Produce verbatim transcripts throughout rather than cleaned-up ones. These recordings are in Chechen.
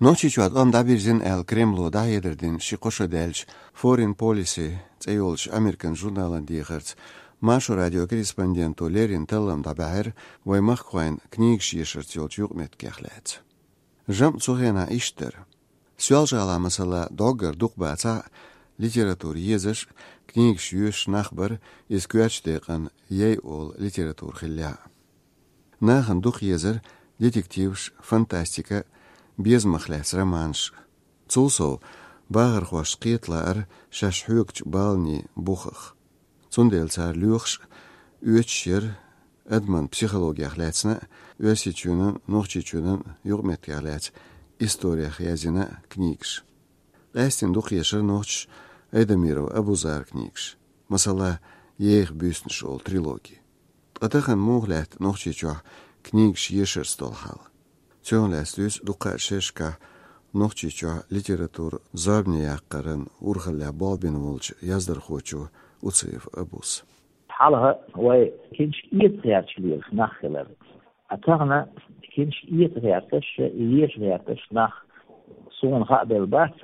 Нохчийчохь тӀом дӀабирзина аьлла, Кремло дӀахьедар дина ши-кхо шо даьлча, Foreign Policy цӀе йолчу Американ журналан дехарца, Маршо радион корреспонденто леррина таллам дӀабаьхьира вайн махкахойн книгаш ешарца йолчу юкъаметтигех лаьцна. ЖамӀ цу хенахь иштта дара. Соьлжа-ГӀалахь, масала, дӀоггара дукха бацахь а литература езаш, книгаш йоьшуш нах бара, иза коьртачу декъана яй олу литература хиллехь а. Нахана дукха езара детективаш, фантастика, безамах лаьцна романаш. Цул сов, бахархошна кхета лаара шаьш хьоьгучу баланийн бухах. Цундела цара лоьхуш а, оьцуш а яра адаман психологех лаьцна а, Оьрсийчоьнан, Нохчийчоьнан юкъаметтигех лаьцна историх язйина а книгаш. Къаьсттина дукха ешара нохчаша Айдамиров Абузаран книгаш, масала, «Еха буьйсанаш» олу трилоги. Ткъа тахана муха лаьтта Нохчийчохь книгаш ешарца долу хьал? Цунах лаьцна дуьйцу дуккха а шерашкахь Нохчийчохь литература зорбане яккхаран урхаллехь болх бина волчу яздархочо Уциев Абус. Хьалха вай книшка эца гӀерташ лелаш нах хилар. Ткъа тахана книшка эца гӀерташ, еша гӀерташ нах суна хаа белла бац,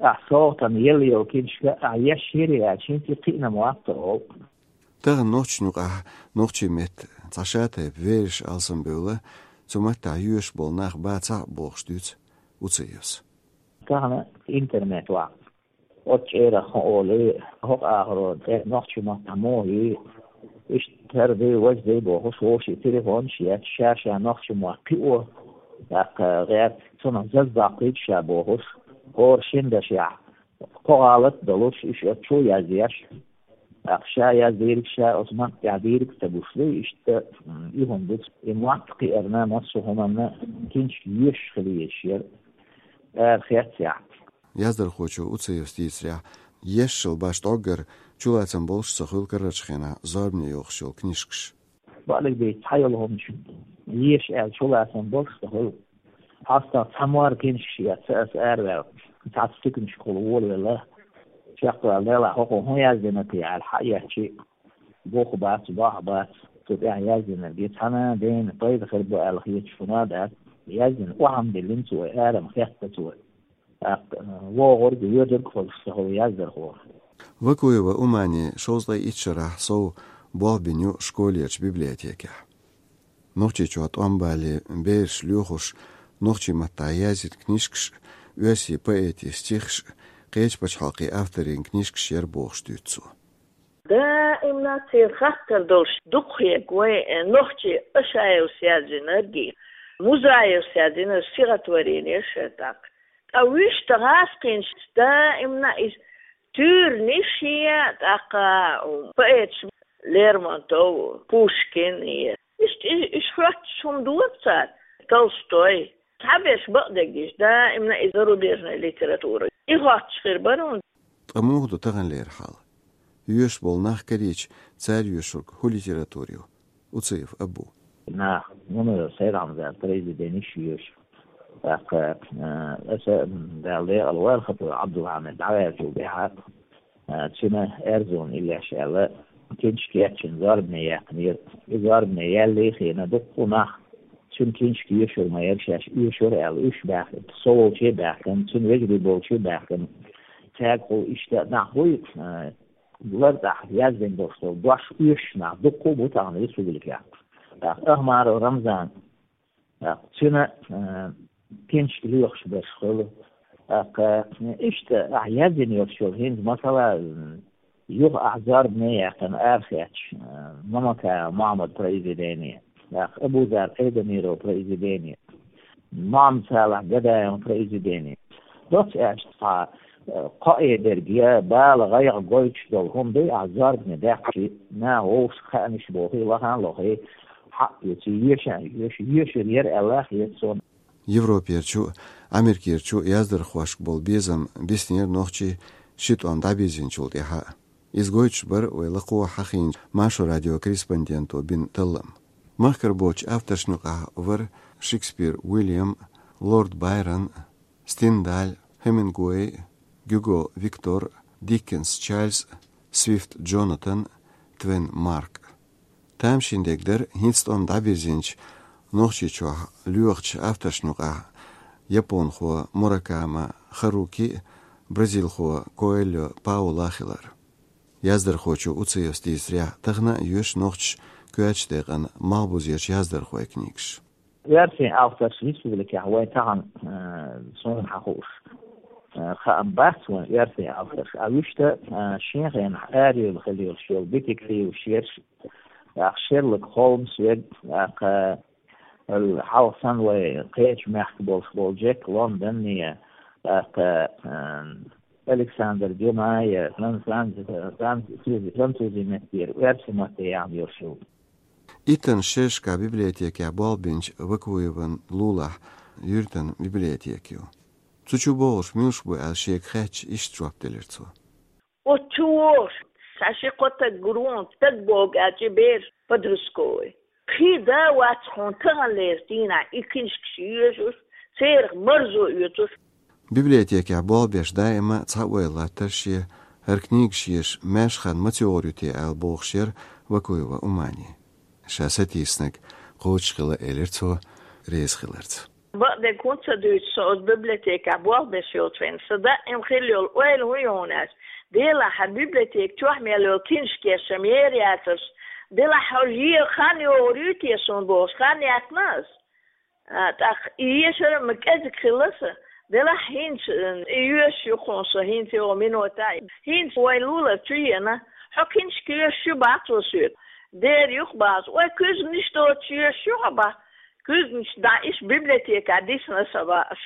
ахь сохьтана елла йолу книшка ахь еш йирий аьлча, хӀинца кхиъна ма вац олу. Тахана нохчашна юкъахь нохчийн меттан цхьа шатайпа верасаш алсамбевлла, цу маттахь йоьшуш болу нах бацахь а бохуш дуьйцу Уциевс. Тахана интернет вац. Оцу чӀерах хӀун олий, хӀокху агӀоро тӀе нохчийн маттахь муха йий, иштта хӀара дай, важа дай бохуш, вовшийн телефонаш еш, ша-ша нохчийн мотт кхио, тӀаккха гӀерта цунах заза доккхуьйту ша бохуш, хӀора шина дашехь кхо гӀалат а долуш, иштта оцу чу а язъеш, тӀаккха ша яздийриг ша оцу матта тӀехь дийриг а ца гуш ду, иштта, м, и хӀума ду, и мотт кхиарна массо а хӀуманна книшка йоьшуш хила езаш яра, ара хецъяхь. Яздархочо Уциевс дийцарехь, ешшал башха дӀоггара чулацам болуш а ца хуьлу карарчу хенахь зорбане йохуш йолу книшкаш. Бакъдерг дийца, цхьа йолу хӀума чу еша аьлла чулацам болуш а ца хуьлу. ХьастагӀ цхьа морра книшкаш эцна аса араваьлла, цхьацца туьканашкахула волавелла. Чекхваьлла делахь, хӀокхо хӀун яздина те аьлла, хьаэцчи, бух бац, бохь бац, цу тӀехь яздинарг. И цхьана а дена пайда хир бу аьлла хеташ хӀума а дац, яздина охьа ма диллина цо, ара ма хетта цо. ТӀаккха вогӀург, воьдург а хуьлуш ца хуьлу яздархо. Вакуева Умани шовзткъе итт шарахь сов болх бина ю школерчу библиотекехь. Нохчийчохь тӀом бале бераш лоьхуш, нохчийн маттахь язйина книшкаш, оьрсийн поэтийн стихаш, кхечу пачхьалкхийн авторийн книшкаш яра бохуш дуьйцу цо. Даимна церан хаттар долуш дукха хетарг вайн, э, нохчийн Ашаевс яздинарг, Музаевс яздинарг, стихотворенеш а тӀаккха. Ткъа вуьшта гӀазкхинчу даимна иза туьйранаш а, тӀаккха поэташ Лермонтов, Пушкин а. Иштта и-, иштта хоьттуш хӀума дора цара, Толстой. Цхьаберш бакъдерг дийцича, даимна и зарубежная литература. И хоттуш хир бара хӀунда. Ткъа муха ду таханлера хьал? Йоьшуш болу нах карийча, цара йоьшург хӀун литература ю? Уциев Абу. Нах, ну, Сайд-Ахьмадан произведенеш йоьшу. ТӀаккха, э, аса, м, Дала декъала войла, Хатур Ӏабдулхьамид дӀаваьллачул тӀаьхьа, э, цуьнан «Аьрзун иллеш» аьлла книшка кечйина зорбане яьккхинера. И зорбане яьлла хиъна дуккха а нах цуьнан книшка йоьшур ма яра, шаьш йоьшур аьлла уьш баьхкина, со волче а баьхкина, цуьнан вежарий болче а баьхкина. Цаьргахула иштта нах буй, э, лартӀехь яздина долуш долу дош оьшуш нах дуккха а бу тахана республикехь. ТӀаккха Ахмаров Рамзан, тӀаккха цуьнан, э, книшка лоьхуш берш хуьлу. ТӀаккха, э, иштта ахь яздина йолуш йолу хӀинца, масала, м, юха ахь зорбане яьккхина арахецча, э, Мамакаев Мохьмадан произведени, тӀаккха Абузар Айдамировн произведени, Мохьмад-Салахь Гадаевн произведени. Доцца аьлча, цхьа, э, кхоъ дерг я бала гӀайгӀа гойтуш долу хӀума дуй, ахь зорбане даьккхича, наха вовшашка хааначу бохий, лахана а лохий, хьаъ, юьций, йоьшан, йоьш-, йоьшур яра аьлла хета суна. Европерчу, Америкерчу яздархошка болу безам биснера нохчийн ши тӀом дӀабирзинчул тӀаьхьа. Иза гойтуш бара вай лакхо хьахийначу Маршо радион корреспонденто бина таллам. Махкара боцчу авторшна юкъахь вара Шекспир Уильям, Лорд Байрон, Стендаль, Хемингуэй, Гюго Виктор, Диккенс Чарльз, Свифт Джонатан, Твен Марк. Тамашийна дерг дара хӀинца тӀом дӀабирзинчу, Нохчийчохь лоьхучу авторшна юкъахь японхо Муракама Харуки а, бразилхо Коэльо Паула а хилар. Яздархочо Уциевс дийцарехь, тахана а йоьшу нохчаша коьртачу декъана малхбузерчу яздархойн книгаш. Оьрсийн авторш республикехь вайн тахана, э, суна хьан хууш, э, хаам бац вайн оьрсийн авторш. А вуьшта, э, шен хенахь арайолу хила йолуш йолу детектив шераш, тӀаккха Шерлок Холмс верг, тӀаккха, э, хьалха санна вай кхечу мехкан болуш болу Джек Лондон а, тӀаккха, э, Александр Дюма а, фран-, фран-, французи, французи меттера, оьрсийн матте яхна йолуш ю. Иттаннаш шерашкахь библиотекехь болх бинчу Вакуеван лулахь юьртан библиотека ю. Цу чу богӀурш муьлш бу аьлла шега хаьттича, иштта жоп делира цо. Оцу чу вогӀуш, сан ши-кхо стаг гур ву, стаг богу аьлча, бераш подростковый. Кхин да вац хьуна таханлерчу дийнахь и книжкаш йоьшуш, церах марзо оьцуш. Библиотекехь болх беш даима цхьа ойла латтара шен, хӀара книгаш еш маьрша хан ма цӀогӀур ю те аьлла бохуш яра Вакуева Умани. Ша сатийсинарг кхочушхила элира цо, реза хиларца. Бакъдерг хӀунда ца дуьйцу со оцу библиотекехь болх беш йолчу хенахь, сан даима хилла йолу ойла хӀун ю хьуна аьлча, делахь хьан библиотека чохь мел йолу книжкаш ша мера яцарш, делахь хьо е хан йогӀур ю те суна бохуш, хан яьккхина ас. А, тӀаккха и ешар а ма кӀезиг хилла сан, делахь хӀинца, э, и йоьшуш ю хьуна со, хӀинца йогӀу минота а. ХӀинца вайн лулар чу еана, хьо книжка йоьшуш ю бац ву соьга. Дера юха бац, вай куьзганаш доцуш йоьшуш ю хьо бац. Куьзганаш дӀа иштта библиотекехь дисна сан бац.